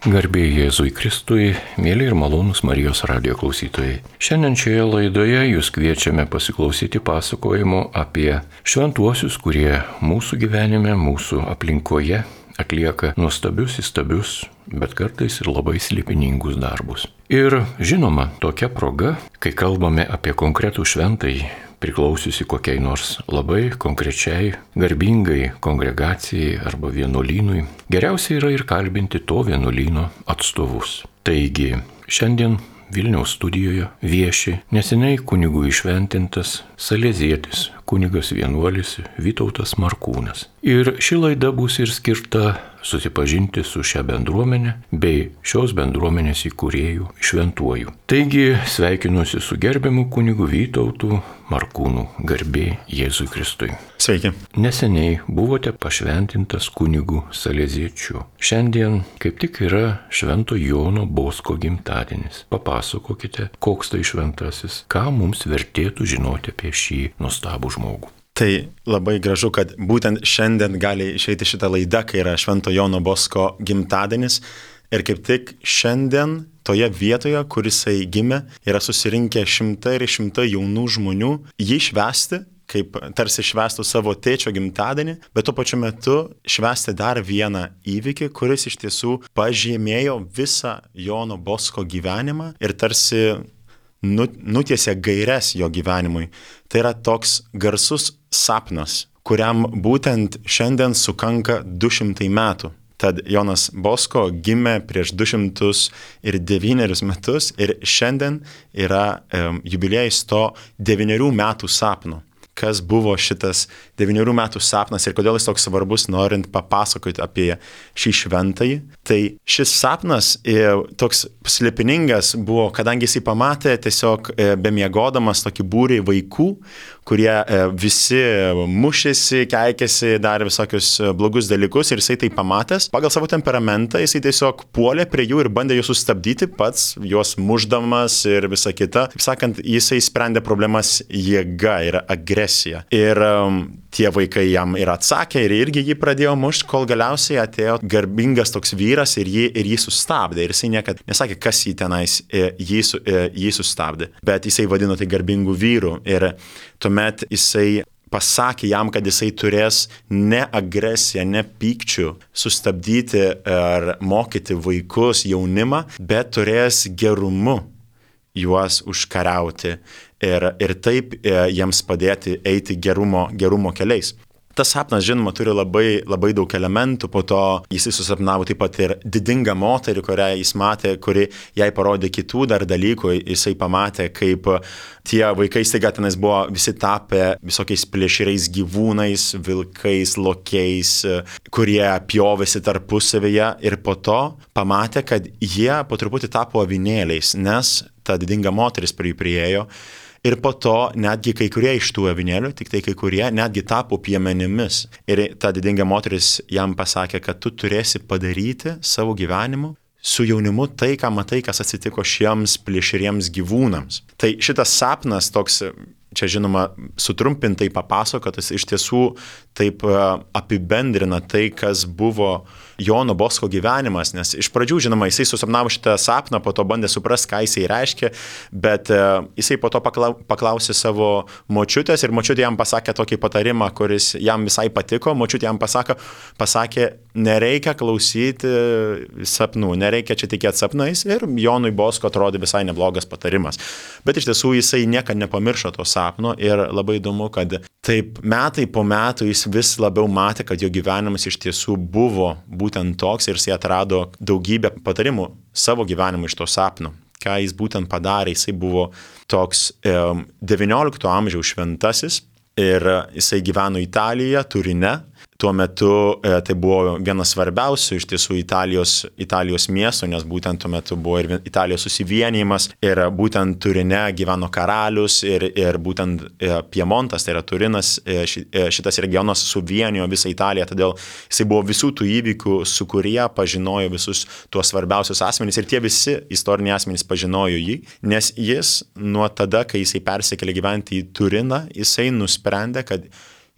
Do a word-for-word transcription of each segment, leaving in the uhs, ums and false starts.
Garbė Jėzui Kristui, mėly ir malonūs Marijos radijo klausytojai. Šiandien šioje laidoje jūs kviečiame pasiklausyti pasakojimo apie šventuosius, kurie mūsų gyvenime, mūsų aplinkoje atlieka nuostabius, įstabius, bet kartais ir labai slėpiningus darbus. Ir žinoma, tokia proga, kai kalbame apie konkretų šventąjį, priklausiusi kokiai nors labai konkrečiai, garbingai kongregacijai arba vienuolynui, geriausia yra ir kalbinti to vienuolyno atstovus. Taigi, šiandien Vilniaus studijoje vieši neseniai kunigų įšventintas salezietis, kunigas vienuolis Vytautas Markūnas. Ir ši laida bus ir skirta susipažinti su šia bendruomenė bei šios bendruomenės įkūrėjų šventuoju. Taigi sveikinuosi su gerbiamu kunigu Vytautu Markūnu, garbė Jėzui Kristui. Sveiki. Neseniai buvote pašventintas kunigu saleziečiu. Šiandien kaip tik yra Švento Jono Bosko gimtadienis. Papasakokite, koks tai šventasis, ką mums vertėtų žinoti apie šį nuostabų žmogų. Tai labai gražu, kad būtent šiandien gali išeiti šitą laidą, kai yra Švento Jono Bosko gimtadienis. Ir kaip tik šiandien toje vietoje, kur jisai gimė, yra susirinkę šimtai ir šimtai jaunų žmonių jį švęsti, kaip tarsi švęstų savo tėčio gimtadienį, bet tuo pačiu metu švęsti dar vieną įvykį, kuris iš tiesų pažymėjo visą Jono Bosko gyvenimą ir tarsi nutiesė gaires jo gyvenimui. Tai yra toks garsus sapnas, kuriam būtent šiandien sukanka du šimtai metų. Tad Jonas Bosko gimė prieš du šimtus devynerius metus ir šiandien yra um, jubiliejus to devynerių metų sapno. Kas buvo šitas devynerių metų sapnas ir kodėl jis toks svarbus, norint papasakoti apie šį šventąjį. Tai šis sapnas e, toks slėpiningas buvo, kadangi jisai pamatė tiesiog e, bemiegodamas tokį būrį vaikų, kurie e, visi mušėsi, keikėsi, darė visokius blogus dalykus ir jisai tai pamatęs. Pagal savo temperamentą jisai tiesiog puolė prie jų ir bandė juos sustabdyti pats, juos mušdamas ir visa kita. Taip sakant, jisai sprendė problemas jėga ir agresija. Ir um, tie vaikai jam ir atsakė ir irgi jį pradėjo mušti, kol galiausiai atėjo garbingas toks vyras ir jį, ir jį sustabdė. Ir jisai niekad nesakė, kas jį tenais jį, jį sustabdė, bet jisai vadino tai garbingų vyrų. Ir tuomet jisai pasakė jam, kad jisai turės ne agresiją, ne pykčių sustabdyti ar mokyti vaikus, jaunimą, bet turės gerumu juos užkariauti ir, ir taip e, jiems padėti eiti gerumo, gerumo keliais. Tas sapnas, žinoma, turi labai, labai daug elementų, po to jisai susapnavo taip pat ir didingą moterį, kurią jis matė, kuri jai parodė kitų dar dalykų, jisai pamatė, kaip tie vaikai staiga tenais buvo visi tapę visokiais plėšriais gyvūnais, vilkais, lokiais, kurie pjovėsi tarpusavyje ir po to pamatė, kad jie po truputį tapo avinėliais, nes ta didinga moteris prie jų priėjo. Ir po to netgi kai kurie iš tų avinėlių, tik tai kai kurie netgi tapo piemenimis. Ir ta didinga moteris jam pasakė, kad tu turėsi padaryti savo gyvenimu su jaunimu tai, ką matai, kas atsitiko šiems plėšriems gyvūnams. Tai šitas sapnas toks, čia žinoma, sutrumpintai papasakotas, iš tiesų taip apibendrina tai, kas buvo Jono Bosko gyvenimas, nes iš pradžių, žinoma, jisai susapnavo šitą sapną, po to bandė suprasti, ką jisai reiškia, bet jisai po to paklausė savo močiutės ir močiutė jam pasakė tokį patarimą, kuris jam visai patiko. Močiutė jam pasakė, pasakė, nereikia klausyti sapnų, nereikia čia tikėti sapnais ir Jonui Bosko atrodė visai neblogas patarimas. Bet iš tiesų jisai niekad nepamiršo to sapno ir labai įdomu, kad taip metai po metų jis vis labiau matė, kad jo gyvenimas iš tiesų buvo būtent toks ir jisai atrado daugybę patarimų savo gyvenimui iš to sapno. Ką jis būtent padarė, jisai buvo toks e, devyniolikto amžiaus šventasis ir jisai gyveno Italijoje, Turine. Tuo metu e, tai buvo vienas svarbiausių iš tiesų Italijos, Italijos miestų, nes būtent tuo metu buvo ir Italijos susivienijimas ir būtent Turine gyveno karalius ir, ir būtent e, Piemontas, tai yra Turinas, e, ši, e, šitas regionas suvienijo visą Italiją, todėl jisai buvo visų tų įvykių, su kurie pažinojo visus tuos svarbiausius asmenys ir tie visi istoriniai asmenys pažinojo jį, nes jis nuo tada, kai jisai persikėlė gyventi į Turiną, jisai nusprendė, kad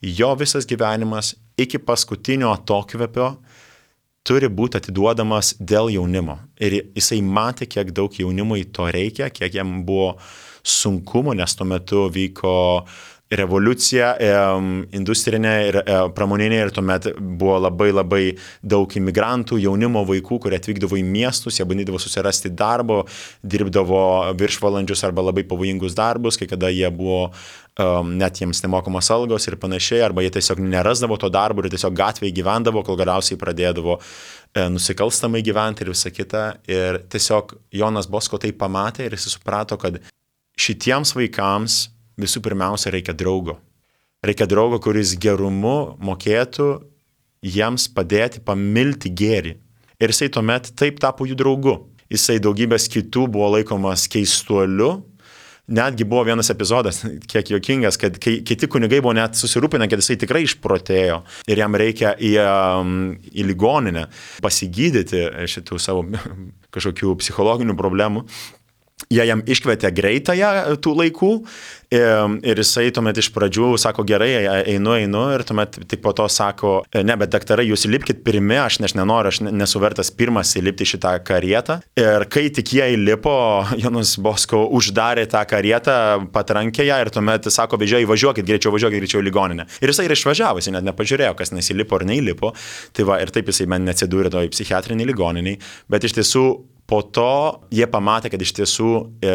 jo visas gyvenimas iki paskutinio atokvėpio turi būti atiduodamas dėl jaunimo. Ir jisai matė, kiek daug jaunimui to reikia, kiek jam buvo sunkumo, nes tuo metu vyko revoliucija industrinė ir pramoninė ir tuomet buvo labai labai daug imigrantų, jaunimo, vaikų, kurie atvykdavo į miestus, jie bandydavo susirasti darbo, dirbdavo viršvalandžius arba labai pavojingus darbus, kai kada jie buvo um, net jiems nemokamos algos ir panašiai, arba jie tiesiog nerasdavo to darbo ir tiesiog gatvėje gyvendavo, kol galiausiai pradėdavo e, nusikalstamai gyventi ir visą kitą. Ir tiesiog Jonas Bosko tai pamatė ir jis suprato, kad šitiems vaikams visų pirmiausia reikia draugo. Reikia draugo, kuris gerumu mokėtų jiems padėti pamilti gėrį. Ir jisai tuomet taip tapo jų draugu. Jisai daugybės kitų buvo laikomas keistuoliu. Netgi buvo vienas epizodas, kiek juokingas, kad kai kiti kunigai buvo net susirūpinę, kad jisai tikrai išprotėjo ir jam reikia į, į ligoninę pasigydyti šitų savo kažkokių psichologinių problemų. Jie jam iškvietė greitąją tų laikų ir jisai tuomet iš pradžių sako, gerai, einu, einu ir tuomet tik po to sako, ne, bet daktarai, jūs įlipkit pirmi, aš neš nenoriu, aš nesu vertas pirmas įlipti šitą karietą. Ir kai tik jie įlipo, Jonas Bosko uždarė tą karietą patrankėje ir tuomet sako, vežėjai, važiuokit greičiau, važiuokit greičiau į ligoninę. Ir jisai ir išvažiavo, jis net nepažiūrėjo, kas nesilipo ar neįlipo. Tai va, ir taip jisai man neatsidūrė toj psichiatriniai ligoniniai, bet iš tiesų po to jie pamatė, kad iš tiesų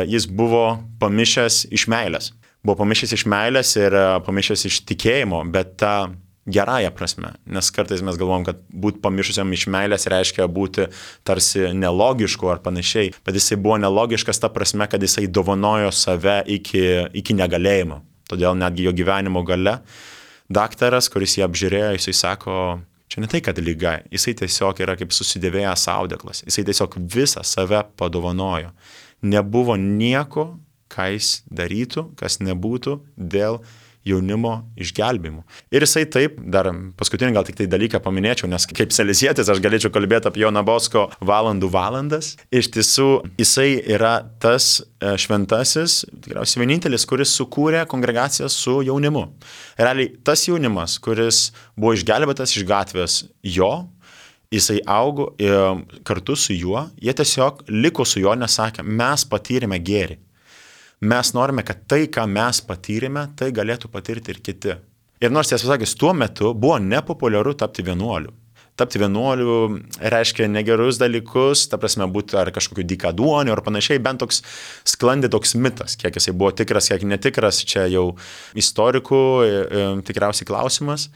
jis buvo pamišęs iš meilės. Buvo pamišęs iš meilės ir pamišęs iš tikėjimo, bet tą gerąją prasme. Nes kartais mes galvom, kad būti pamišusiam iš meilės reiškia būti tarsi nelogišku ar panašiai. Bet jisai buvo nelogiškas ta prasme, kad jisai dovanojo save iki, iki negalėjimo. Todėl netgi jo gyvenimo gale daktaras, kuris jį apžiūrėjo, jisai sako, čia ne tai, kad lyga, jisai tiesiog yra kaip susidėvėjęs audeklas, jisai tiesiog visą save padovanojo. Nebuvo nieko, ką jis darytų, kas nebūtų dėl jaunimo išgelbėjimo. Ir jisai taip, dar paskutinį gal tik tai dalyką paminėčiau, nes kaip salezietis aš galėčiau kalbėti apie Joną Bosko valandų valandas. Iš tiesų, jisai yra tas šventasis, tikriausiai vienintelis, kuris sukūrė kongregaciją su jaunimu. Realiai, tas jaunimas, kuris buvo išgelbėtas iš gatvės jo, jisai augo kartu su juo, jie tiesiog liko su juo, nes sakė, mes patyrėme gėrį. Mes norime, kad tai, ką mes patyrėme, tai galėtų patirti ir kiti. Ir nors tiesą sakys, tuo metu buvo nepopuliaru tapti vienuoliu. Tapti vienuoliu reiškia negerus dalykus, ta prasme būti ar kažkokiu dykaduoniu ar panašiai, bent toks sklandė toks mitas, kiek jisai buvo tikras, kiek netikras, čia jau istorikų e, tikriausiai klausimas,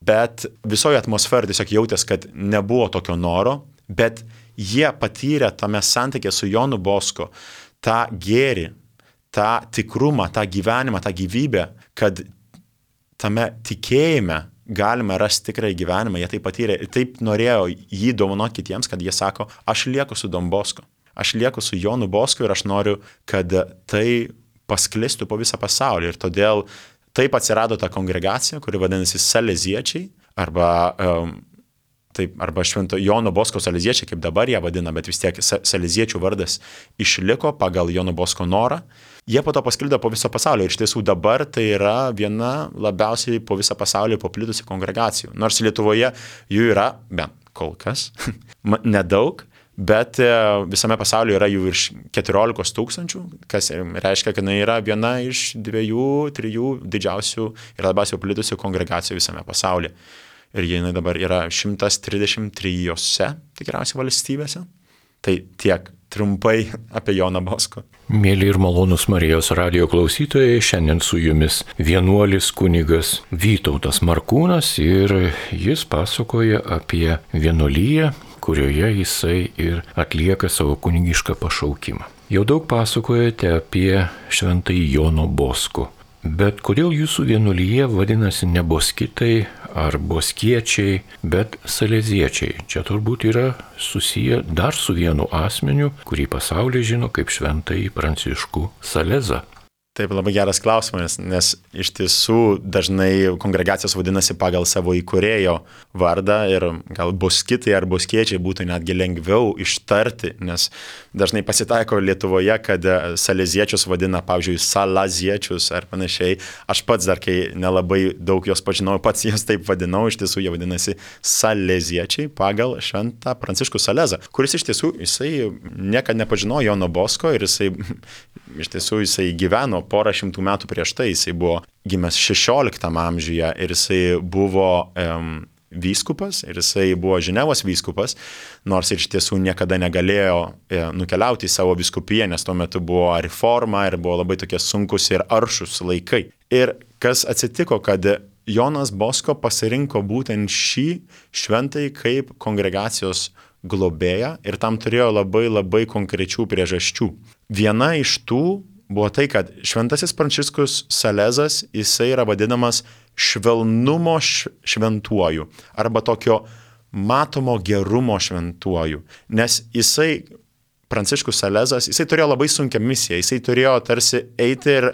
bet visoje atmosferoje tiesiog jautės, kad nebuvo tokio noro, bet jie patyrė tame santykė su Jonu Bosko tą gėrį, tą tikrumą, tą gyvenimą, tą gyvybę, kad tame tikėjime galime rasti tikrąjį gyvenimą. Jie tai patyrė ir taip norėjo jį dovanoti kitiems, kad jie sako, aš lieku su Don Bosko, aš lieku su Jonu Bosko ir aš noriu, kad tai pasklistų po visą pasaulį. Ir todėl taip atsirado ta kongregacija, kuri vadinasi Saleziečiai, arba um, Taip, arba Švento Jono Bosko saleziečiai, kaip dabar ją vadina, bet vis tiek saleziečių vardas išliko pagal Jono Bosko norą. Jie po to pasklido po visą pasaulį ir iš tiesų dabar tai yra viena labiausiai po visą pasaulį paplitusi kongregacijų. Nors Lietuvoje jų yra, bent kol kas, nedaug, bet visame pasaulyje yra jų virš keturiolikos tūkstančių, kas reiškia, kad jinai yra viena iš dviejų, trijų didžiausių ir labiausiai paplitusių kongregacijų visame pasaulyje. Ir jinai dabar yra šimtas trisdešimt trijose tikriausiai valstybėse. Tai tiek trumpai apie Joną Bosko. Mėly ir malonus Marijos radijo klausytojai, šiandien su jumis vienuolis kunigas Vytautas Markūnas ir jis pasakoja apie vienuoliją, kurioje jisai ir atlieka savo kunigišką pašaukimą. Jau daug pasakojate apie šventąjį Jono Bosko. Bet kodėl jūsų vienuolyje vadinasi ne boskitai ar boskiečiai, bet saleziečiai? Čia turbūt yra susiję dar su vienu asmeniu, kurį pasaulyje žino kaip šventąjį Pranciškų Salezą. Taip, labai geras klausimas, nes iš tiesų dažnai kongregacijos vadinasi pagal savo įkūrėjo vardą ir gal boskitai ar boskiečiai būtų netgi lengviau ištarti, nes dažnai pasitaiko Lietuvoje, kad saleziečius vadina, pavyzdžiui, salaziečius ar panašiai. Aš pats dar, kai nelabai daug jos pažinau, pats jos taip vadinau, iš tiesų jie vadinasi saleziečiai pagal šventą Pranciškų Salezą, kuris iš tiesų, jisai niekada nepažinojo Jono Bosko ir jisai, iš tiesų, jisai gyveno porą šimtų metų prieš tai, jisai buvo gimęs šešioliktam amžiuje ir jisai buvo um, vyskupas ir jisai buvo Ženevos vyskupas, nors iš tiesų niekada negalėjo e, nukeliauti į savo vyskupiją, nes tuo metu buvo reforma ir buvo labai tokie sunkus ir aršus laikai. Ir kas atsitiko, kad Jonas Bosko pasirinko būtent šį šventai kaip kongregacijos globėją ir tam turėjo labai labai konkrečių priežasčių. Viena iš tų buvo tai, kad šventasis Pranciškus Salezas, jisai yra vadinamas švelnumo šventuoju arba tokio matomo gerumo šventuoju, nes jisai, Pranciškus Salezas, jisai turėjo labai sunkią misiją, jisai turėjo tarsi eiti ir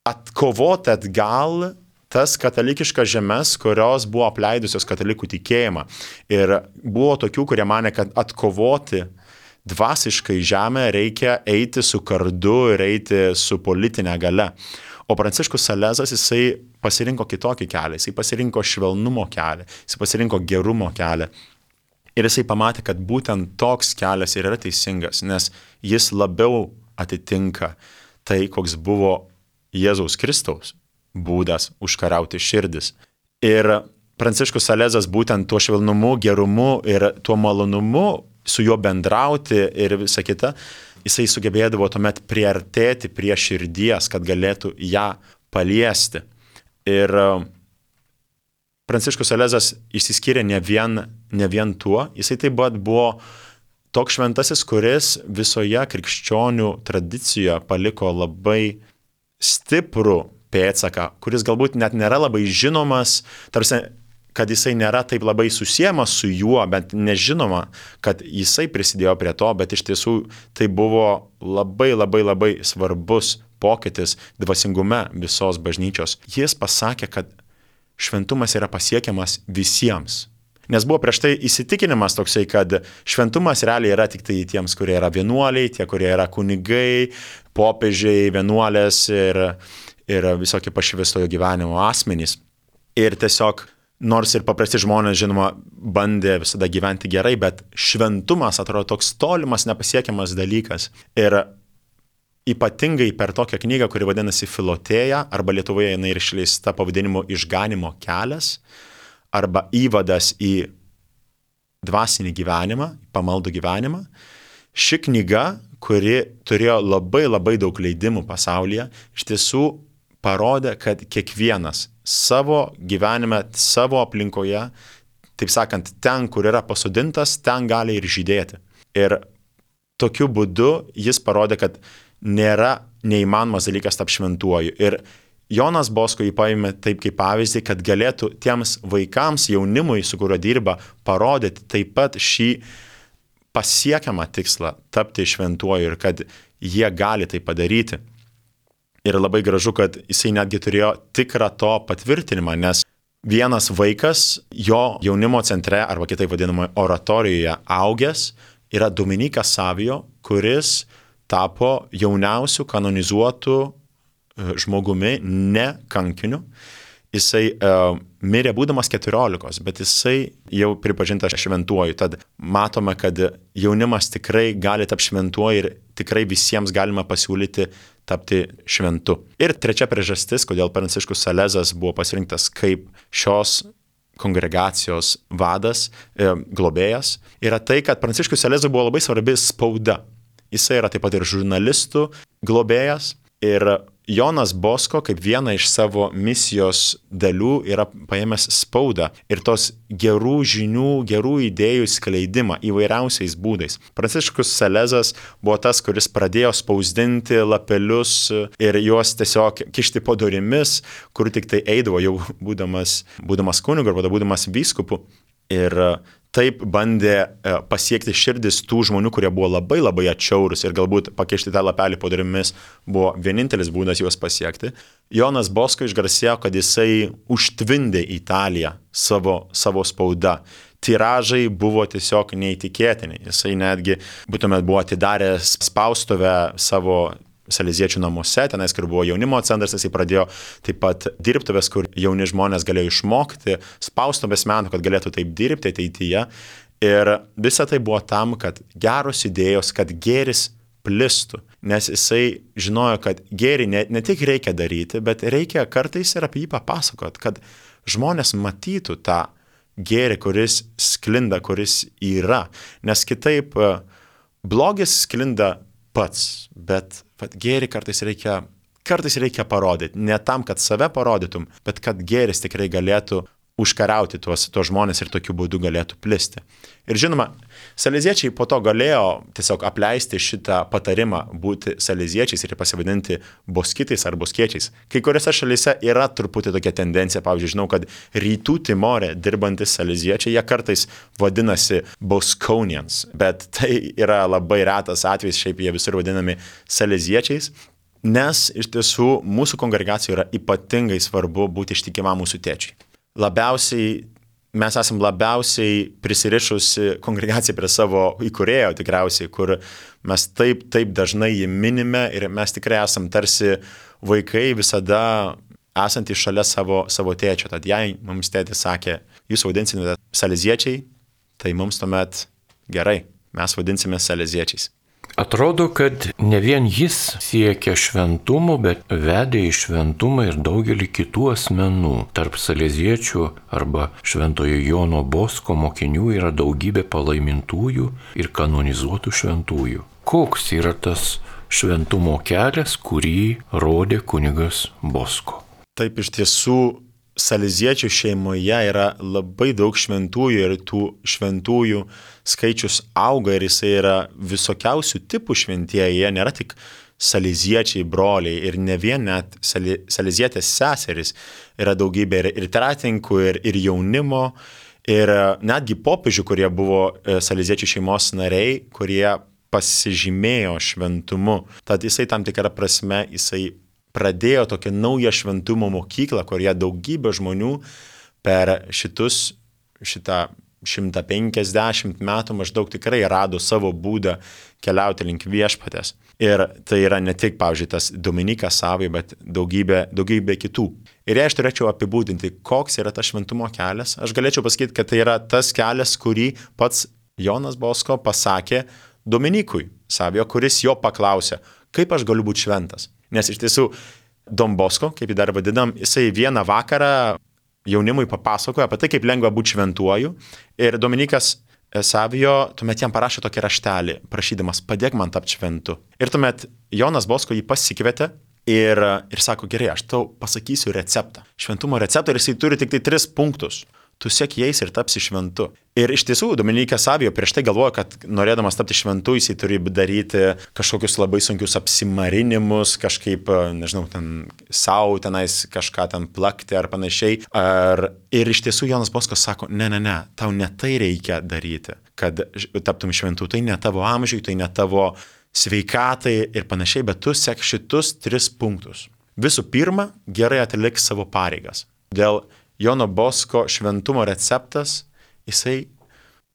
atkovoti atgal tas katalikiškas žemes, kurios buvo apleidusios katalikų tikėjimą. Ir buvo tokių, kurie mane, kad atkovoti dvasiškai žemę reikia eiti su kardu ir eiti su politinė galia. O Pranciškus Salezas, jisai pasirinko kitokį kelią, jisai pasirinko švelnumo kelią, jisai pasirinko gerumo kelią. Ir jisai pamatė, kad būtent toks kelias ir yra teisingas, nes jis labiau atitinka tai, koks buvo Jėzaus Kristaus būdas užkariauti širdis. Ir Pranciškus Salezas būtent tuo švelnumu, gerumu ir tuo malonumu su juo bendrauti ir visa kita, jisai sugebėdavo tuomet priartėti prie širdies, kad galėtų ją paliesti. Ir Pranciškus Salezas išsiskyrė ne vien, ne vien tuo, jisai taip pat buvo toks šventasis, kuris visoje krikščionių tradicijoje paliko labai stiprų pėdsaką, kuris galbūt net nėra labai žinomas, tarsi kad jisai nėra taip labai susiejamas su juo, bet nežinoma, kad jisai prisidėjo prie to, bet iš tiesų tai buvo labai labai labai svarbus pokytis dvasingume visos bažnyčios. Jis pasakė, kad šventumas yra pasiekiamas visiems. Nes buvo prieš tai įsitikinimas toksai, kad šventumas realiai yra tik tai tiems, kurie yra vienuoliai, tie, kurie yra kunigai, popiežiai, vienuolės ir, ir visokie pašvęstojo gyvenimo asmenys. Ir tiesiog nors ir paprasti žmonės, žinoma, bandė visada gyventi gerai, bet šventumas atrodo toks tolimas, nepasiekiamas dalykas. Ir ypatingai per tokią knygą, kuri vadinasi Filotėja, arba Lietuvoje jinai ir išleista pavadinimu Išganimo kelias, arba įvadas į dvasinį gyvenimą, pamaldų gyvenimą. Ši knyga, kuri turėjo labai labai daug leidimų pasaulyje, iš tiesų parodė, kad kiekvienas savo gyvenime, savo aplinkoje, taip sakant, ten, kur yra pasodintas, ten gali ir žydėti. Ir tokiu būdu jis parodė, kad nėra neįmanomas dalykas tapti šventuoju. Ir Jonas Bosko jį paėmė taip kaip pavyzdį, kad galėtų tiems vaikams, jaunimui, su kuriuo dirba, parodyti taip pat šį pasiekiamą tikslą tapti šventuoju ir kad jie gali tai padaryti. Ir labai gražu, kad jisai netgi turėjo tikrą to patvirtinimą, nes vienas vaikas jo jaunimo centre, arba kitaip vadinamoje oratorijoje augęs, yra Dominikas Savio, kuris tapo jauniausiu kanonizuotu žmogumi, ne kankiniu. Jisai uh, mirė būdamas keturiolikos, bet jisai jau pripažintas šventuoju. Tad matome, kad jaunimas tikrai gali tapti šventuoju ir tikrai visiems galima pasiūlyti tapti šventu. Ir trečia priežastis, kodėl Pranciškus Salezas buvo pasirinktas kaip šios kongregacijos vadas, e, globėjas, yra tai, kad Pranciškus Salezui buvo labai svarbi spauda. Jisai yra taip pat ir žurnalistų globėjas. Ir Jonas Bosko kaip vieną iš savo misijos dalių yra paėmęs spaudą ir tos gerų žinių, gerų idėjų skleidimą įvairiausiais būdais. Pranciškus Salezas buvo tas, kuris pradėjo spausdinti lapelius ir juos tiesiog kišti po durimis, kur tik tai eidavo jau būdamas, būdamas kunigu arba būdamas vyskupu. Ir taip bandė pasiekti širdis tų žmonių, kurie buvo labai labai atšiaurus ir galbūt pakišti tą lapelį po durimis buvo vienintelis būdas juos pasiekti. Jonas Bosko išgarsėjo, kad jisai užtvindė Italiją savo, savo spauda. Tiražai buvo tiesiog neįtikėtini. Jisai netgi būtumėt buvo atidaręs spaustuvę savo saleziečių namuose, tenais, kur buvo jaunimo centras, jisai pradėjo taip pat dirbtuvės, kur jauni žmonės galėjo išmokti spaustuvės meno, kad galėtų taip dirbti ateityje. Ir visa tai buvo tam, kad geros idėjos, kad gėris plistų, nes jisai žinojo, kad gėrį ne, ne tik reikia daryti, bet reikia kartais ir apie jį papasakot, kad žmonės matytų tą gėrį, kuris sklinda, kuris yra, nes kitaip blogis sklinda pats, bet vat, gėrį kartais reikia, kartais reikia parodyti, ne tam, kad save parodytum, bet kad gėris tikrai galėtų užkariauti tuos, tuos žmonės ir tokiu būdu galėtų plisti. Ir žinoma, saleziečiai po to galėjo tiesiog apleisti šitą patarimą būti saleziečiais ir pasivadinti boskitais ar boskiečiais. Kai kuriuose šalyse yra truputį tokia tendencija, pavyzdžiui, žinau, kad rytų Timore dirbantis saleziečiai, jie kartais vadinasi Bosconians, bet tai yra labai retas atvejis, šiaip jie visur vadinami saleziečiais, nes iš tiesų mūsų kongregacijoje yra ypatingai svarbu būti ištikimam mūsų tėčiui. Labiausiai, mes esam labiausiai prisirišusi kongregacija prie savo įkūrėjo tikriausiai, kur mes taip, taip dažnai jį minime ir mes tikrai esam tarsi vaikai visada esantys šalia savo, savo tėčio. Tad jei mums tėtis sakė, jūs vadinsime saleziečiai, tai mums tuomet gerai, mes vadinsime saleziečiais. Atrodo, kad ne vien jis siekia šventumo, bet vedė į šventumą ir daugelį kitų asmenų. Tarp saleziečių arba šventojo Jono Bosko mokinių yra daugybė palaimintųjų ir kanonizuotų šventųjų. Koks yra tas šventumo kelias, kurį rodė kunigas Bosko? Taip, iš tiesų, saleziečių šeimoje yra labai daug šventųjų ir tų šventųjų skaičius auga ir jisai yra visokiausių tipų šventieji, jie nėra tik saleziečiai broliai ir ne vien net salezietės seserys, yra daugybė ir, ir tretininkų, ir, ir jaunimo, ir netgi popiežių, kurie buvo saleziečių šeimos nariai, kurie pasižymėjo šventumu. Tad jisai tam tikrą prasme, jisai pradėjo tokią naują šventumo mokyklą, kurioje daugybė žmonių per šitus, šitą šimtą penkiasdešimt metų maždaug tikrai rado savo būdą keliauti link viešpatės. Ir tai yra ne tik, pavyzdžiui, tas Dominikas Savai, bet daugybė, daugybė kitų. Ir jei aš turėčiau apibūdinti, koks yra tas šventumo kelias, aš galėčiau pasakyti, kad tai yra tas kelias, kurį pats Jonas Bosko pasakė Dominikui Savio, kuris jo paklausė, kaip aš galiu būti šventas. Nes iš tiesų, Don Bosko, kaip jį dar vadinam, jisai vieną vakarą jaunimui papasakojo apie tai, kaip lengva būti šventuoju. Ir Dominikas Savio tuomet jam parašė tokį raštelį, prašydamas, padėk man tapti šventu. Ir tuomet Jonas Bosko jį pasikvietė ir, ir sako, gerai, aš tau pasakysiu receptą. Šventumo receptą ir jisai turi tik tai tris punktus. Tu sek jais ir tapsi šventu. Ir iš tiesų, Dominikas Savio prieš tai galvojo, kad norėdamas tapti šventu, jisai turi daryti kažkokius labai sunkius apsimarinimus, kažkaip, nežinau, ten savo tenais kažką ten plakti ar panašiai. Ar... Ir iš tiesų Jonas Boskas sako, ne, ne, ne, tau ne tai reikia daryti, kad taptum šventu. Tai ne tavo amžiui, tai ne tavo sveikatai ir panašiai, bet tu sek šitus tris punktus. Visų pirma, gerai atlik savo pareigas. Dėl Jono Bosko šventumo receptas, jisai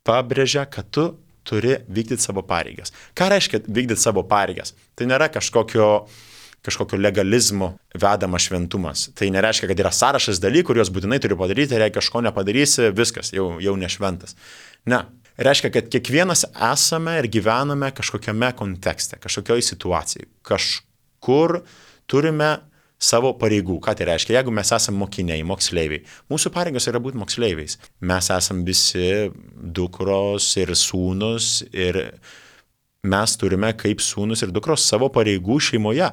pabrėžia, kad tu turi vykdyti savo pareigas. Ką reiškia vykdyti savo pareigas? Tai nėra kažkokio, kažkokio legalizmo vedama šventumas. Tai nereiškia, kad yra sąrašas dalykų, kuriuos būtinai turi padaryti, ir jei kažko nepadarysi, viskas, jau, jau nešventas. Ne. Reiškia, kad kiekvienas esame ir gyvename kažkokiame kontekste, kažkokioj situacijai. Kažkur turime savo pareigų. Ką tai reiškia? Jeigu mes esame mokiniai, moksleiviai, mūsų pareigos yra būti moksleiviais. Mes esame visi dukros ir sūnus ir mes turime kaip sūnus ir dukros savo pareigų šeimoje.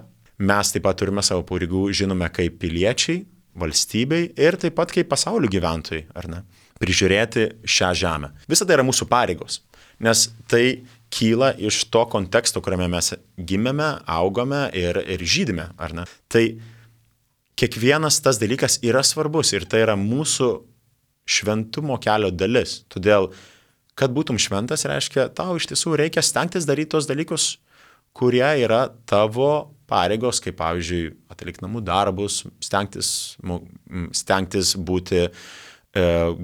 Mes taip pat turime savo pareigų, žinome, kaip piliečiai, valstybei ir taip pat kaip pasaulio gyventojai, ar ne? Prižiūrėti šią žemę. Visa tai yra mūsų pareigos, nes tai kyla iš to konteksto, kuriame mes gimėme, augome ir, ir žydime, ar ne? Tai kiekvienas tas dalykas yra svarbus ir tai yra mūsų šventumo kelio dalis. Todėl Kad būtum šventas, reiškia, tau iš tiesų reikia stengtis daryti tos dalykus, kurie yra tavo pareigos, kaip pavyzdžiui, atlikti namų darbus, stengtis, stengtis būti e,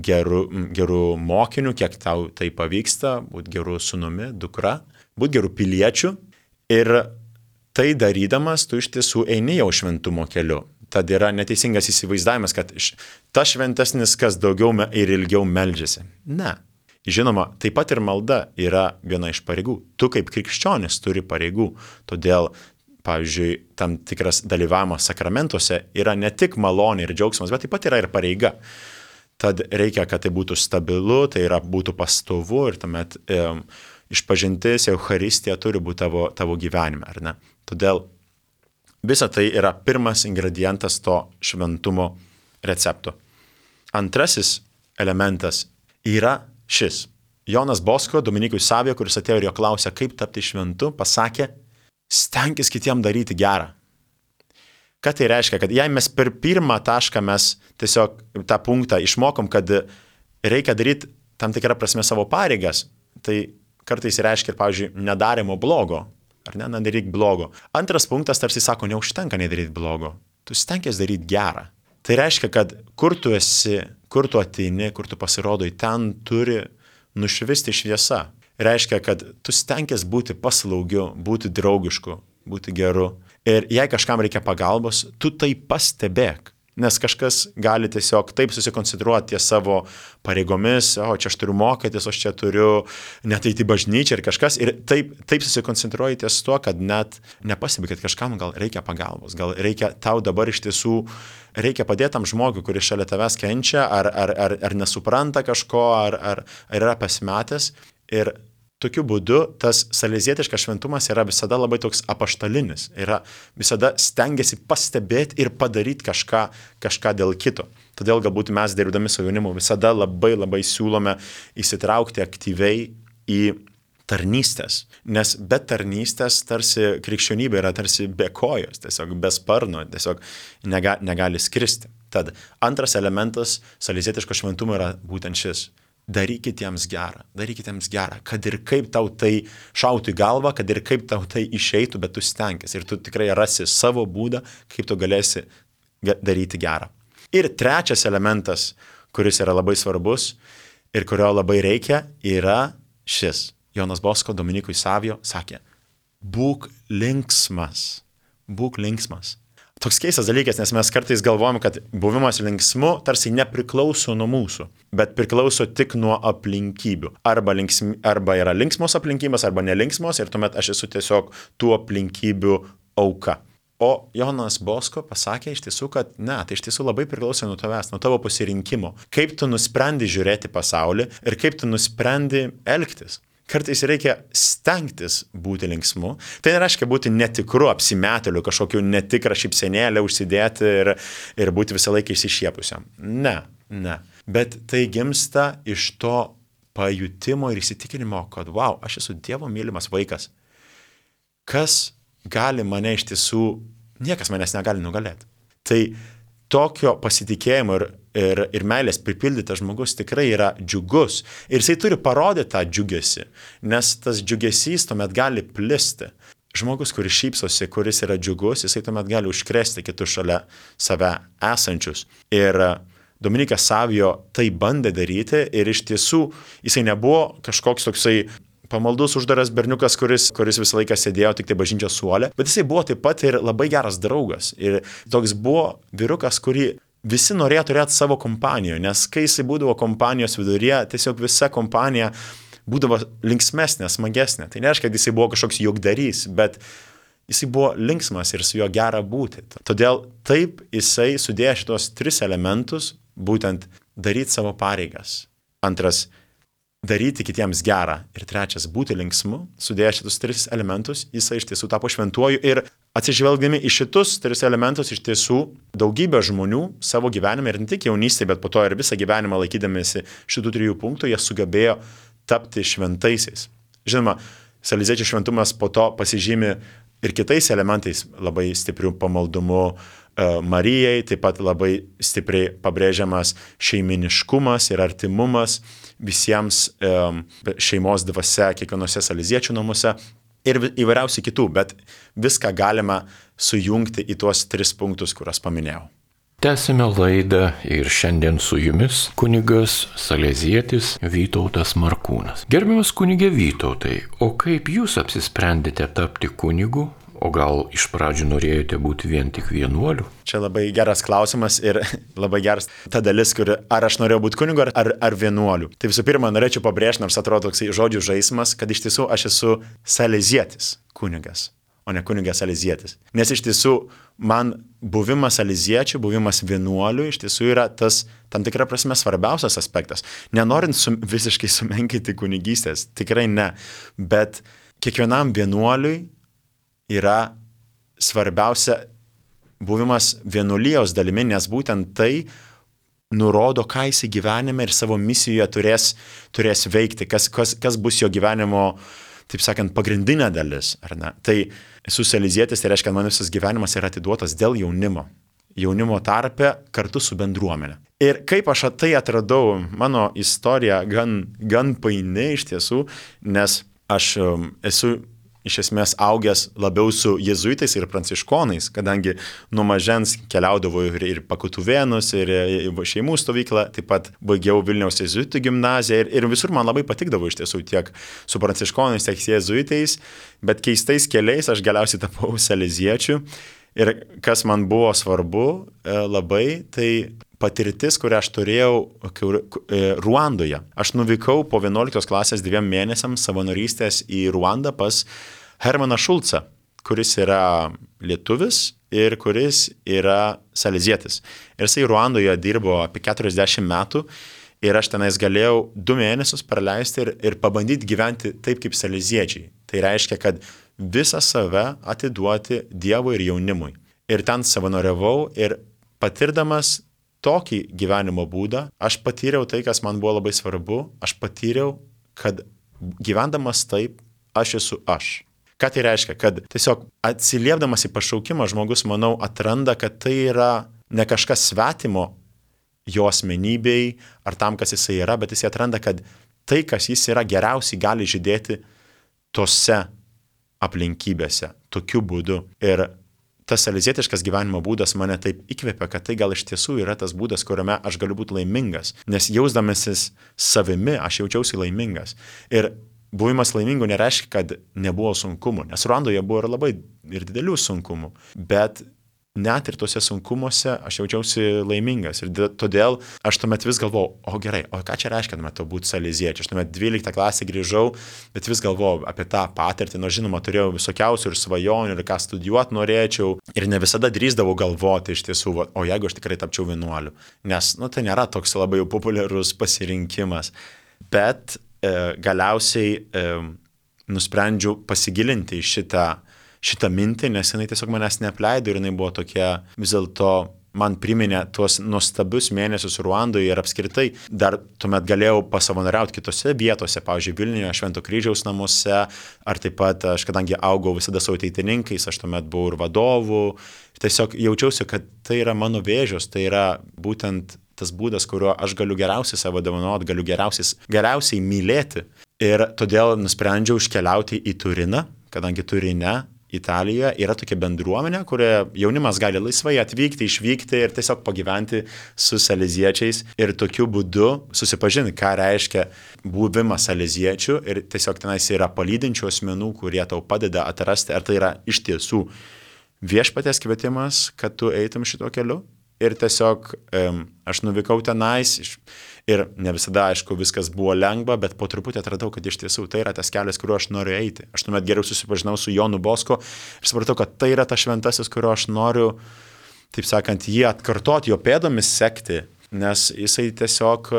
geru, geru mokiniu, kiek tau tai pavyksta, būti geru sūnumi, dukra, būti geru piliečiu. Ir tai darydamas, tu iš tiesų eini jau šventumo keliu. Tad yra neteisingas įsivaizdavimas, kad ta šventesnis, kas daugiau ir ilgiau meldžiasi. Ne. Žinoma, taip pat ir malda yra viena iš pareigų. Tu kaip krikščionis turi pareigų. Todėl, pavyzdžiui, tam tikras dalyvavimas sakramentuose yra ne tik malonė ir džiaugsmas, bet taip pat yra ir pareiga. Tad reikia, kad tai būtų stabilu, tai yra būtų pastovu ir tuomet e, išpažintis, Eucharistija turi būti tavo, tavo gyvenime, ar ne? Todėl visa tai yra pirmas ingredientas to šventumo recepto. Antrasis elementas yra šis. Jonas Bosko, Dominikui Savio, kuris atėjo ir jo klausė, kaip tapti šventu, pasakė, stenkis kitiem daryti gerą. Ką tai reiškia? Kad jei mes per pirmą tašką mes tiesiog tą punktą išmokom, kad reikia daryti tam tikrą prasme savo pareigas, tai kartais reiškia, pavyzdžiui, nedarimo blogo. Ar ne, nedaryk blogo. Antras punktas tarsi sako, neužtenka nedaryti blogo. Tu stengies daryti gerą. Tai reiškia, kad kur tu esi, kur tu ateini, kur tu pasirodai, ten turi nušvisti šviesa. Reiškia, kad tu stengies būti paslaugiu, būti draugišku, būti geru. Ir jei kažkam reikia pagalbos, tu tai pastebėk. Nes kažkas gali tiesiog taip susikoncentruoti ties savo pareigomis, o čia aš turiu mokytis, o aš čia turiu net eiti į bažnyčią ir kažkas. Ir taip, taip susikoncentruoji ties tuo, kad net nepastebi, kad kažkam gal reikia pagalbos, gal reikia tau dabar iš tiesų, reikia padėti tam žmogui, kuris šalia tavęs kenčia, ar, ar, ar, ar nesupranta kažko, ar, ar, ar yra pasimetęs. Ir tokiu būdu tas salezietiškas šventumas yra visada labai toks apaštalinis, yra visada stengiasi pastebėti ir padaryti kažką, kažką dėl kito. Todėl galbūt mes dirbdami su jaunimu visada labai labai siūlome įsitraukti aktyviai į tarnystės, nes be tarnystės tarsi krikščionybė yra tarsi be kojos, tiesiog be sparno, tiesiog nega, negali skristi. Tad antras elementas salezietiško šventumo yra būtent šis. Darykit jiems gerą, darykit jiems gerą, kad ir kaip tau tai šautų į galvą, kad ir kaip tau tai išeitų, bet tu stenkis ir tu tikrai rasi savo būdą, kaip tu galėsi daryti gerą. Ir trečias elementas, kuris yra labai svarbus ir kurio labai reikia, yra šis. Jonas Bosko Dominikui Savio sakė, būk linksmas, būk linksmas. Toks keistas dalykas, nes mes kartais galvojam, kad buvimas linksmu tarsi nepriklauso nuo mūsų, bet priklauso tik nuo aplinkybių. Arba, linksmi, arba yra linksmos aplinkybės, arba nelinksmos ir tuomet aš esu tiesiog tų aplinkybių auka. O Jonas Bosko pasakė iš tiesų, kad ne, tai iš tiesų labai priklauso nuo tavęs, nuo tavo pasirinkimo. Kaip tu nusprendi žiūrėti pasaulį ir kaip tu nusprendi elgtis. Kartais reikia stengtis būti linksmu. Tai nereiškia būti netikru, apsimetėliu, kažkokiu netikrą šypsenėlę užsidėti ir, ir būti visą laiką išsišiepusiam. Ne, ne. Bet tai gimsta iš to pajutimo ir įsitikinimo, kad wow, aš esu Dievo mylimas vaikas. Kas gali mane iš tiesų, niekas manęs negali nugalėti. Tai tokio pasitikėjimo ir, ir, ir meilės pripildytas žmogus tikrai yra džiugus. Ir jisai turi parodyti tą džiugesį, nes tas džiugesys tuomet gali plisti. Žmogus, kuris šypsosi, kuris yra džiugus, jisai tuomet gali užkrėsti kitus šalia save esančius. Ir Dominikas Savio tai bandė daryti ir iš tiesų jisai nebuvo kažkoks toksai pamaldus uždaras berniukas, kuris, kuris visą laiką sėdėjo tik tai bažnyčios suole, bet jisai buvo taip pat ir labai geras draugas. Ir toks buvo vyrukas, kurį visi norėjo turėti savo kompanijoje, nes kai jisai būdavo kompanijos viduryje, tiesiog visa kompanija būdavo linksmesnė, smagesnė. Tai nereiškia, kad jisai buvo kažkoks juokdarys, bet jisai buvo linksmas ir su juo gera būti. Todėl taip jisai sudėjo šitos tris elementus, būtent daryti savo pareigas. Antras, daryti kitiems gerą. Ir trečias, būti linksmu, sudėję šitus tris elementus, jisai iš tiesų tapo šventuoju. Ir atsižvelgdami į šitus tris elementus, iš tiesų daugybė žmonių savo gyvenime, ir ne tik jaunystėje, bet po to ir visą gyvenimą laikydamėsi šitų trijų punktų, jie sugebėjo tapti šventaisiais. Žinoma, saleziečių šventumas po to pasižymi ir kitais elementais, labai stiprių pamaldumu Marijai, taip pat labai stipriai pabrėžiamas šeiminiškumas ir artimumas visiems šeimos dvasia kiekvienose saleziečių namuose ir įvairiausių kitų, bet viską galima sujungti į tuos tris punktus, kuriuos paminėjau. Tęsime laidą ir šiandien su jumis kunigas salezietis Vytautas Markūnas. Gerbiamas kunige Vytautai, o kaip jūs apsisprendėte tapti kunigu? O gal iš pradžių norėjote būti vien tik vienuoliu? Čia labai geras klausimas ir labai geras ta dalis, kur ar aš norėjau būti kunigu ar, ar vienuoliu. Tai visų pirma, norėčiau pabrėžti, nors atrodo toksai žodžių žaismas, kad iš tiesų aš esu salezietis kunigas, o ne kunigas salezietis. Nes iš tiesų man buvimas saleziečiu, buvimas vienuoliu iš tiesų yra tas tam tikra prasme svarbiausias aspektas. Nenorint sum, visiškai sumenkinti kunigystės, tikrai ne, bet kiekvienam vienuoliui yra svarbiausia buvimas vienuolijos dalimi, nes būtent tai nurodo, ką jis gyvenime ir savo misijoje turės, turės veikti, kas, kas, kas bus jo gyvenimo, taip sakant, pagrindinė dalis. Ar ne? Tai esu salezietis, tai reiškia, kad man visas gyvenimas yra atiduotas dėl jaunimo. Jaunimo tarpe kartu su bendruomenė. Ir kaip aš tai atradau, mano istorija gan, gan paini iš tiesų, nes aš um, esu iš esmės augęs labiau su jėzuitais ir pranciškonais, kadangi nuo mažens keliaudavau ir, ir pakutuvėnus, ir šeimų stovyklą, taip pat baigiau Vilniaus jėzuitų gimnaziją ir, ir visur man labai patikdavo iš tiesų tiek su pranciškonais, tiek jėzuitais, bet keistais keliais aš galiausiai tapau saleziečiu. Ir kas man buvo svarbu labai, tai patirtis, kurią aš turėjau Ruandoje. Aš nuvykau po vienuoliktos klasės dviem mėnesiams savanorystės į Ruandą pas Hermaną Šulcą, kuris yra lietuvis ir kuris yra salezietis. Ir jisai Ruandoje dirbo apie keturiasdešimt metų ir aš tenais galėjau du mėnesius praleisti ir, ir pabandyti gyventi taip kaip saleziečiai. Tai reiškia, kad visą save atiduoti Dievui ir jaunimui. Ir ten savanoriavau ir patirdamas tokį gyvenimo būdą, aš patyriau tai, kas man buvo labai svarbu, aš patyriau, kad gyvendamas taip, aš esu aš. Ką tai reiškia? Kad tiesiog atsiliepdamas į pašaukimą žmogus, manau, atranda, kad tai yra ne kažkas svetimo jo asmenybei ar tam, kas jisai yra, bet jisai atranda, kad tai, kas jis yra, geriausiai gali žydėti tose aplinkybėse, tokiu būdu. Ir tas salezietiškas gyvenimo būdas mane taip įkvėpė, kad tai gal iš tiesų yra tas būdas, kuriame aš galiu būti laimingas. Nes jausdamasis savimi, aš jaučiausi laimingas. Ir buvimas laimingu nereiškia, kad nebuvo sunkumų. Nes Ruandoje buvo ir labai ir didelių sunkumų. Bet net ir tuose sunkumuose aš jaučiausi laimingas. Ir todėl aš tuomet vis galvojau, o gerai, o ką čia reiškia tuomet būti saleziečiu? Aš tuomet dvyliktą klasę grįžau, bet vis galvojau apie tą patirtį. Nors žinoma, turėjau visokiausių ir svajonių, ir ką studijuoti norėčiau. Ir ne visada drįsdavau galvoti iš tiesų, o jeigu aš tikrai tapčiau vienuoliu. Nes, nu, tai nėra toks labai jau populiarus pasirinkimas. Bet e, galiausiai e, nusprendžiau pasigilinti į šitą šitą mintį, nes jinai tiesiog manęs neapleido ir jinai buvo tokia, vis dėlto man priminė tuos nuostabius mėnesius Ruandoje ir apskritai dar tuomet galėjau pasavanoriauti kitose vietose, pavyzdžiui, Vilniuje, Švento Kryžiaus namuose, ar taip pat aš, kadangi augau visada su ateitininkais, aš tuomet buvau ir vadovų, tiesiog jaučiausi, kad tai yra mano vėžios, tai yra būtent tas būdas, kuriuo aš galiu geriausiai savo dovanoti, galiu geriausiai, geriausiai mylėti. Ir todėl nusprendžiau iškeliauti į Turiną, kadangi Turine Italijoje yra tokia bendruomenė, kurioje jaunimas gali laisvai atvykti, išvykti ir tiesiog pagyventi su saleziečiais ir tokiu būdu susipažinti, ką reiškia buvimas saleziečių ir tiesiog tenais yra palydinčių asmenų, kurie tau padeda atrasti, ar tai yra iš tiesų viešpaties kvietimas, kad tu eitum šito keliu. Ir tiesiog um, aš nuvykau tenais ir ne visada, aišku, viskas buvo lengva, bet po truputį atradau, kad iš tiesų tai yra tas kelias, kuriuo aš noriu eiti. Aš tuomet geriau susipažinau su Jonu Bosko ir supratau, kad tai yra tas šventasis, kuriuo aš noriu, taip sakant, jį atkartoti, jo pėdomis sekti, nes jisai tiesiog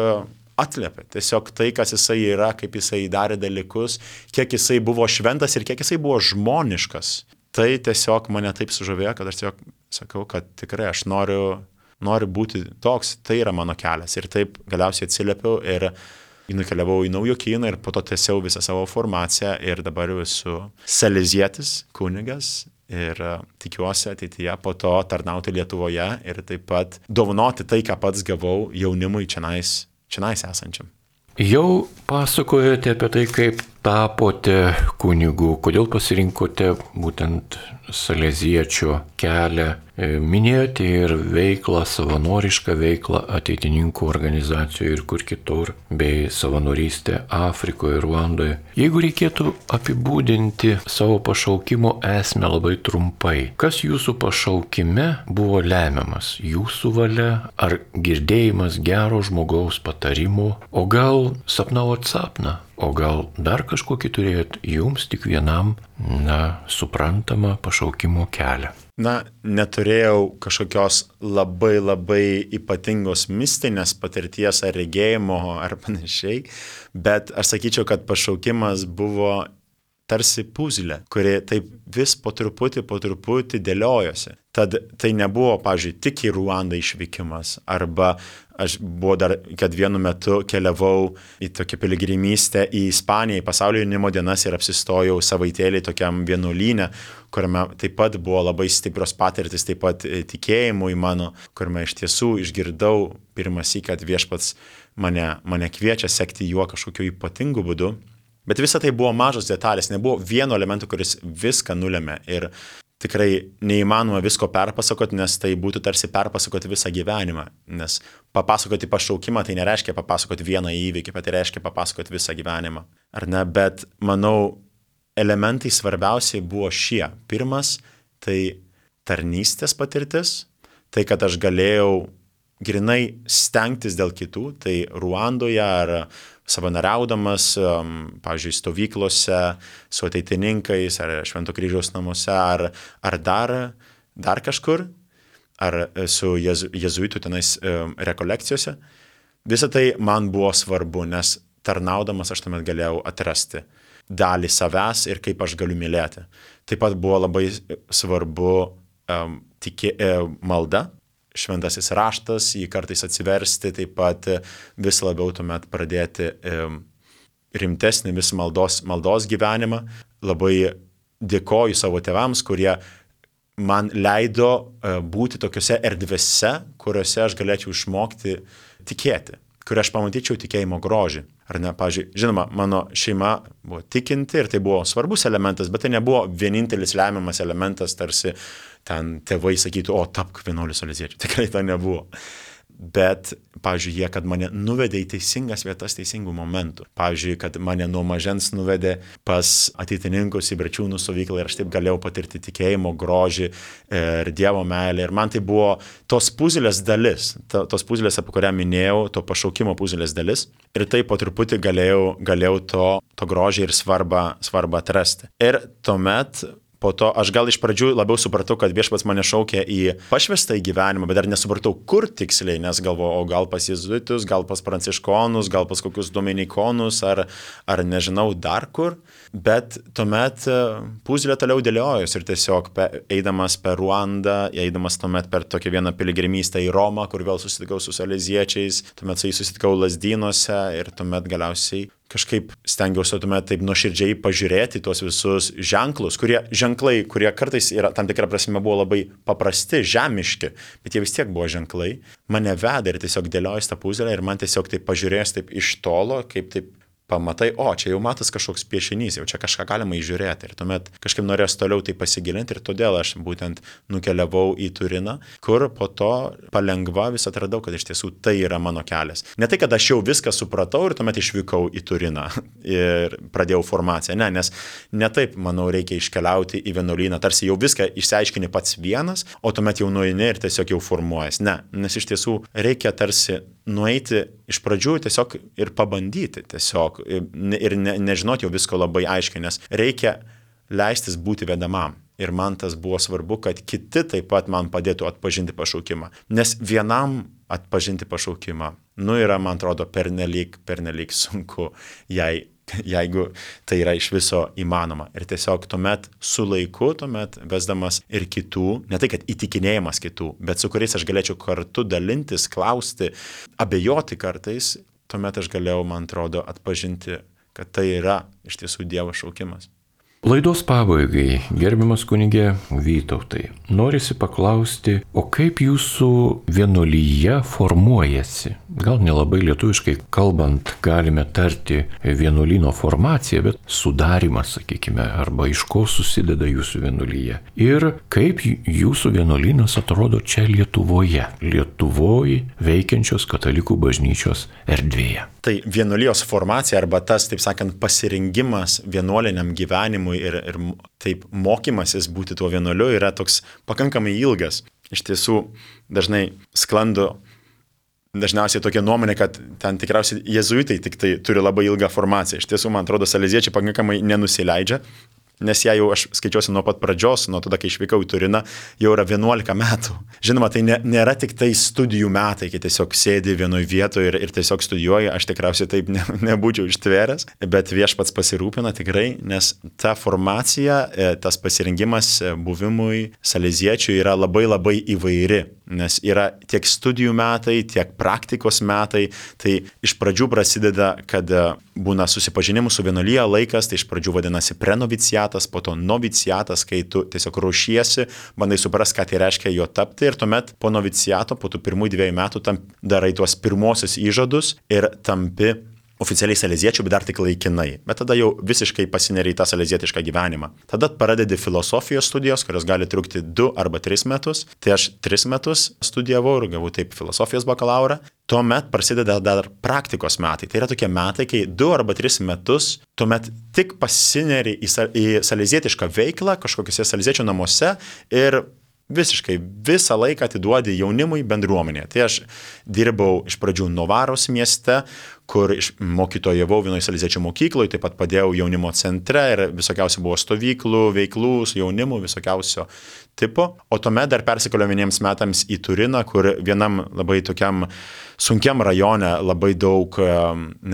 atliepia. Tiesiog tai, kas jisai yra, kaip jisai darė dalykus, kiek jisai buvo šventas ir kiek jisai buvo žmoniškas. Tai tiesiog mane taip sužavėjo, kad aš tiesiog sakau, kad tikrai aš noriu noriu būti toks, tai yra mano kelias. Ir taip galiausiai atsiliepiau ir nukeliavau į Naujokyną ir po to tęsiau visą savo formaciją ir dabar esu salezietis, kunigas ir tikiuosi ateityje po to tarnauti Lietuvoje ir taip pat dovanoti tai, ką pats gavau jaunimui čionais, čionais esančiam. Jau pasakojote apie tai, kaip tapote kunigu, kodėl pasirinkote būtent saleziečio kelią. Minėjote ir veiklą, savanorišką veiklą ateitininkų organizacijoje ir kur kitur, bei savanorystę Afrikoje ir Ruandoje. Jeigu reikėtų apibūdinti savo pašaukimo esmę labai trumpai, kas jūsų pašaukime buvo lemiamas? Jūsų valia ar girdėjimas gero žmogaus patarimų, o gal sapnavot sapną? O gal dar kažkokį turėjot jums tik vienam, na, suprantamą pašaukimo kelią? Na, neturėjau kažkokios labai labai ypatingos mistinės patirties ar regėjimo ar panašiai, bet aš sakyčiau, kad pašaukimas buvo tarsi puzlė, kuri taip vis po truputį, po truputį dėliojosi. Tad tai nebuvo, pavyzdžiui, tik į Ruandą išvykimas, arba aš buvo dar, kad vienu metu keliavau į tokią piligrimystę į Ispaniją, į pasaulio jaunimo dienas ir apsistojau savaitėlį tokiam vienuolyne, kuriame taip pat buvo labai stiprios patirtis, taip pat tikėjimui mano, kuriame iš tiesų išgirdau pirmąsyk, kad viešpats mane, mane kviečia sekti juo kažkokiu ypatingu būdu. Bet visa tai buvo mažos detalės, nebuvo vieno elemento, kuris viską nulėmė ir tikrai neįmanoma visko perpasakoti, nes tai būtų tarsi perpasakoti visą gyvenimą, nes papasakoti pašaukimą tai nereiškia papasakoti vieną įvykį, bet tai reiškia papasakoti visą gyvenimą. Ar ne? Bet manau, elementai svarbiausiai buvo šie. Pirmas, tai tarnystės patirtis, tai kad aš galėjau grinai stengtis dėl kitų, tai Ruandoje ar savanoriaudamas, pavyzdžiui, stovyklose su ateitininkais, ar Švento kryžiaus namuose, ar, ar dar, dar kažkur, ar su jezu, jezuitų tenais rekolekcijose. Visa tai man buvo svarbu, nes tarnaudamas aš tuomet galėjau atrasti dalį savęs ir kaip aš galiu mylėti. Taip pat buvo labai svarbu um, tikė, um, malda, šventasis raštas, jį kartais atsiversti, taip pat vis labiau tuomet pradėti rimtesnį vis maldos, maldos gyvenimą. Labai dėkoju savo tėvams, kurie man leido būti tokiuose erdvėse, kuriuose aš galėčiau išmokti tikėti, kur aš pamatyčiau tikėjimo grožį. Ar ne, pavyzdžiui, žinoma, mano šeima buvo tikinti ir tai buvo svarbus elementas, bet tai nebuvo vienintelis lemiamas elementas, tarsi ten tėvai sakytų, o tapk vienuoliu saleziečiu. Tikrai to nebuvo. Bet, pavyzdžiui, jie, kad mane nuvedė į teisingas vietas teisingų momentų. Pavyzdžiui, kad mane nuo mažens nuvedė pas ateitininkus į Brečiūnų stovyklą ir aš taip galėjau patirti tikėjimo grožį ir Dievo meilę. Ir man tai buvo tos puzlės dalis, tos puzlės, apie kurią minėjau, to pašaukimo puzlės dalis. Ir taip po truputį galėjau, galėjau to, to grožį ir svarbą, svarbą atrasti. Ir tuomet po to aš gal iš pradžių labiau supratau, kad viešpats mane šaukė į pašvestą į gyvenimą, bet dar nesupratau, kur tiksliai, nes galvojau, o gal pas jezuitus, gal pas pranciškonus, gal pas kokius dominikonus, ar, ar nežinau dar kur. Bet tuomet puzlė toliau dėliojus ir tiesiog pe, eidamas per Ruandą, eidamas tuomet per tokią vieną piligrimystę į Romą, kur vėl susitikau su saleziečiais, tuomet su jais susitikau Lazdynuose ir tuomet galiausiai kažkaip stengiausi tuomet taip nuoširdžiai pažiūrėti tuos visus ženklus, kurie ženklai, kurie kartais yra, tam tikrą prasme buvo labai paprasti, žemiški, bet jie vis tiek buvo ženklai, mane veda ir tiesiog dėliojus tą puzlę ir man tiesiog taip pažiūrėjus taip iš tolo, kaip taip pamatai, o čia jau matas kažkoks piešinys, jau čia kažką galima įžiūrėti ir tuomet kažkaip norės toliau tai pasigilinti ir todėl aš būtent nukeliavau į Turiną, kur po to palengva vis atradau, kad iš tiesų tai yra mano kelias. Ne tai, kad aš jau viską supratau ir tuomet išvykau į Turiną ir pradėjau formaciją, ne, nes ne taip, manau, reikia iškeliauti į vienuolyną, tarsi jau viską išsiaiškini pats vienas, o tuomet jau nueini ir tiesiog jau formuojas. Ne, nes iš tiesų reikia tarsi nueiti iš pradžių tiesiog ir pabandyti tiesiog ir ne, nežinoti jau visko labai aiškiai, nes reikia leistis būti vedamam. Ir man tas buvo svarbu, kad kiti taip pat man padėtų atpažinti pašaukimą. Nes vienam atpažinti pašaukimą, nu yra, man atrodo, pernelyg, pernelyg sunku, jei, jeigu tai yra iš viso įmanoma. Ir tiesiog tuomet su laiku, tuomet vesdamas ir kitų, ne tai, kad įtikinėjimas kitų, bet su kuriais aš galėčiau kartu dalintis, klausti, abejoti kartais, tuomet aš galėjau, man atrodo, atpažinti, kad tai yra iš tiesų Dievo šaukimas. Laidos pabaigai, gerbiamas kunigė Vytautai, norisi paklausti, o kaip jūsų vienuolyje formuojasi? Gal nelabai lietuviškai kalbant galime tarti vienuolyno formaciją, bet sudarimas, sakykime, arba iš ko susideda jūsų vienuolyje. Ir kaip jūsų vienuolynas atrodo čia Lietuvoje, Lietuvoje veikiančios katalikų bažnyčios erdvėje. Tai vienuolijos formacija arba tas, taip sakant, pasirengimas vienuoliniam gyvenimui ir, ir taip mokymasis būti tuo vienuoliu yra toks pakankamai ilgas. Iš tiesų dažnai sklando dažniausiai tokia nuomonė, kad ten tikriausiai jėzuitai tik tai turi labai ilgą formaciją. Iš tiesų, man atrodo, saleziečiai pakankamai nenusileidžia, nes ją jau aš skaičiuosi nuo pat pradžios, nuo tada, kai išvykau į Turiną, jau yra vienuolika metų. Žinoma, tai ne, nėra tik tai studijų metai, kai tiesiog sėdi vienoje vietoje ir, ir tiesiog studijuoji, aš tikriausiai taip ne, nebūčiau ištvėręs, bet viešpats pasirūpina tikrai, nes ta formacija, tas pasirengimas buvimui saleziečių yra labai labai įvairi. Nes yra tiek studijų metai, tiek praktikos metai, tai iš pradžių prasideda, kad būna susipažinimų su vienuolija laikas, tai iš pradžių vadinasi prenoviciatas, po to noviciatas, kai tu tiesiog ruošiesi, bandai suprasti, ką tai reiškia jo tapti ir tuomet po noviciato, po tų pirmųjų dviejų metų tam darai tuos pirmosius įžadus ir tampi oficialiai saleziečių, bet dar tik laikinai. Bet tada jau visiškai pasineri į tą salezietišką gyvenimą. Tada pradedi filosofijos studijos, kurios gali trukti du arba tris metus. Tai aš tris metus studijavau ir gavau taip filosofijos bakalaurą. Tuomet prasideda dar praktikos metai. Tai yra tokie metai, kai du arba tris metus tuomet tik pasineri į, į salezietišką veiklą kažkokiuose saleziečių namuose ir visiškai visą laiką atiduodi jaunimui bendruomenėje. Tai aš dirbau iš pradžių Novaros mieste, kur mokytojavau vienoje saleziečių mokykloje, taip pat padėjau jaunimo centre ir visokiausių buvo stovyklų, veiklų su jaunimu, visokiausio tipo. O tuomet dar persikėliau vieniems metams į Turiną, kur vienam labai tokiam sunkiam rajone, labai daug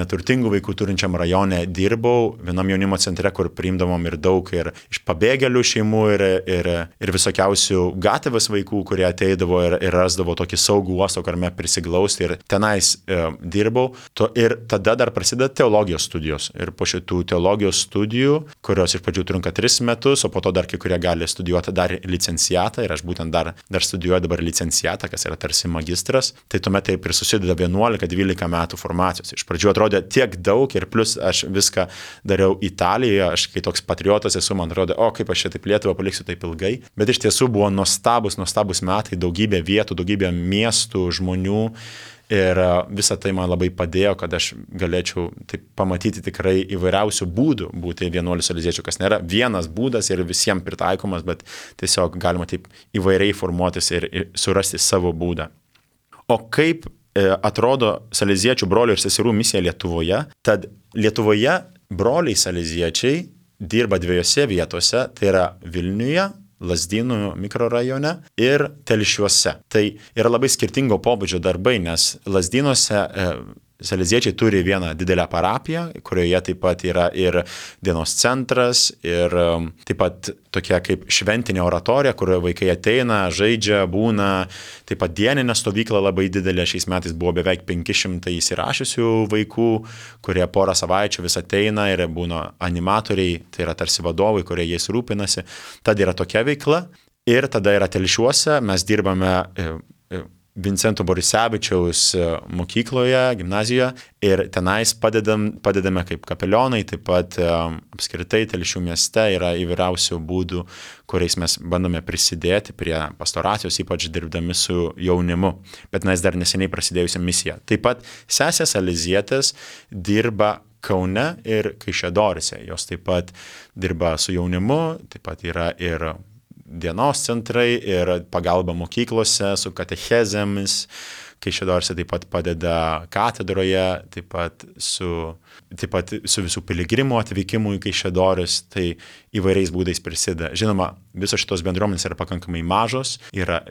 neturtingų vaikų turinčiam rajone dirbau, vienam jaunimo centre, kur priimdavom ir daug ir iš pabėgėlių šeimų ir, ir, ir visokiausių gatvės vaikų, kurie ateidavo ir, ir rasdavo tokį saugų uostą, kuriame prisiglausti ir tenais e, dirbau. To, ir tada dar prasideda teologijos studijos. Ir po šitų teologijos studijų, kurios iš pradžių trunka tris metus, o po to dar kai kurie gali studijuoti dar licenciatą ir aš būtent dar, dar studijuoju dabar licenciatą, kas yra tarsi magistras, tai tuomet taip ir susideda vienuolika dvylika metų formacijos. Iš pradžių atrodė tiek daug ir plus aš viską dariau Italijoje, aš kai toks patriotas esu, man atrodo, o kaip aš čia taip Lietuvą paliksiu taip ilgai, bet iš tiesų buvo nuostabus, nuostabus metai, daugybė vietų, daugybė miestų, žmonių. Ir visą tai man labai padėjo, kad aš galėčiau taip pamatyti tikrai įvairiausių būdų būti vienuoliu saleziečiu, kas nėra vienas būdas ir visiems pritaikomas, bet tiesiog galima taip įvairiai formuotis ir, ir surasti savo būdą. O kaip e, atrodo saleziečių brolių ir seserų misija Lietuvoje? Tad Lietuvoje broliai saleziečiai dirba dviejose vietose, tai yra Vilniuje, Lazdynų mikrorajone ir Telšiuose. Tai yra labai skirtingo pobūdžio darbai, nes Lazdynuose e, saleziečiai turi vieną didelę parapiją, kurioje taip pat yra ir dienos centras, ir um, taip pat tokia kaip šventinė oratorija, kur vaikai ateina, žaidžia, būna, taip pat dieninė stovykla labai didelė, šiais metais buvo beveik penki šimtai įsirašysių vaikų, kurie porą savaičių vis ateina ir būna animatoriai, tai yra tarsi vadovai, kurie jais rūpinasi. Tad yra tokia veikla ir tada yra Telšiuose, mes dirbame e, e, Vincento Borisevičiaus mokykloje, gimnazijoje ir tenais padedam, padedame kaip kapelionai, taip pat um, apskritai Telšių mieste yra įvairiausių būdų, kuriais mes bandome prisidėti prie pastoracijos, ypač dirbdami su jaunimu. Bet mes dar neseniai prasidėjusią misiją. Taip pat sesės salezietės dirba Kaune ir Kaišiadoryse. Jos taip pat dirba su jaunimu, taip pat yra ir dienos centrai ir pagalba mokyklose su katechezėmis. Kaišiadoryse taip pat padeda katedroje, taip pat su, taip pat su visų piligrimų atvykimu į Kaišiadorys, tai įvairiais būdais prisideda. Žinoma, visos šitos bendruomenės yra pakankamai mažos, yra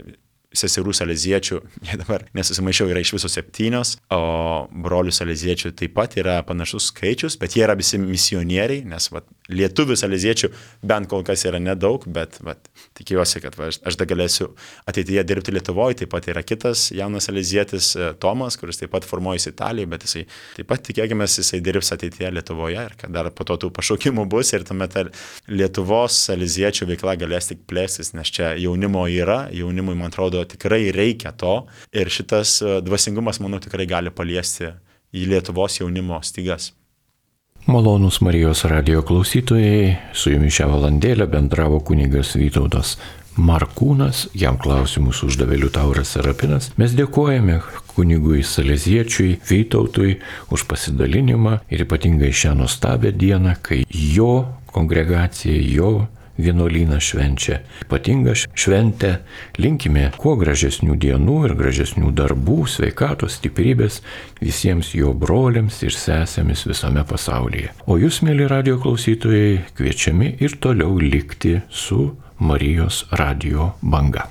seserų saleziečių, jie dabar nesusimaišiau, yra iš viso septynios, o brolių saleziečių taip pat yra panašus skaičius, bet jie yra visi misionieriai, nes vat, lietuvių saleziečių bent kol kas yra nedaug, bet vat, tikiuosi, kad va, aš, aš da galėsiu ateityje dirbti Lietuvoje. Taip pat yra kitas jaunas salezietis Tomas, kuris taip pat formuojasi Italijoje, bet jisai taip pat tikėkime, jisai dirbs ateityje Lietuvoje ir kad dar po to tų pašaukimų bus ir tuomet Lietuvos saleziečių veikla galės tik plėstis, nes čia jaunimo yra, jaunimui, man atrodo, tikrai reikia to ir šitas dvasingumas, manau, tikrai gali paliesti į Lietuvos jaunimo stygas. Malonūs Marijos radijo klausytojai, su jumis šią valandėlę bendravo kunigas Vytautas Markūnas, jam klausimus uždavė Liutauras Serapinas. Mes dėkojame kunigui saleziečiui Vytautui už pasidalinimą ir ypatingai šią nuostabią dieną, kai jo kongregacija, jo vienuolynas švenčia ypatingą šventę. Linkime kuo gražesnių dienų ir gražesnių darbų, sveikatos, stiprybės visiems jo broliams ir sesėmis visame pasaulyje. O jūs, mėly radijo klausytojai, kviečiami ir toliau likti su Marijos radijo banga.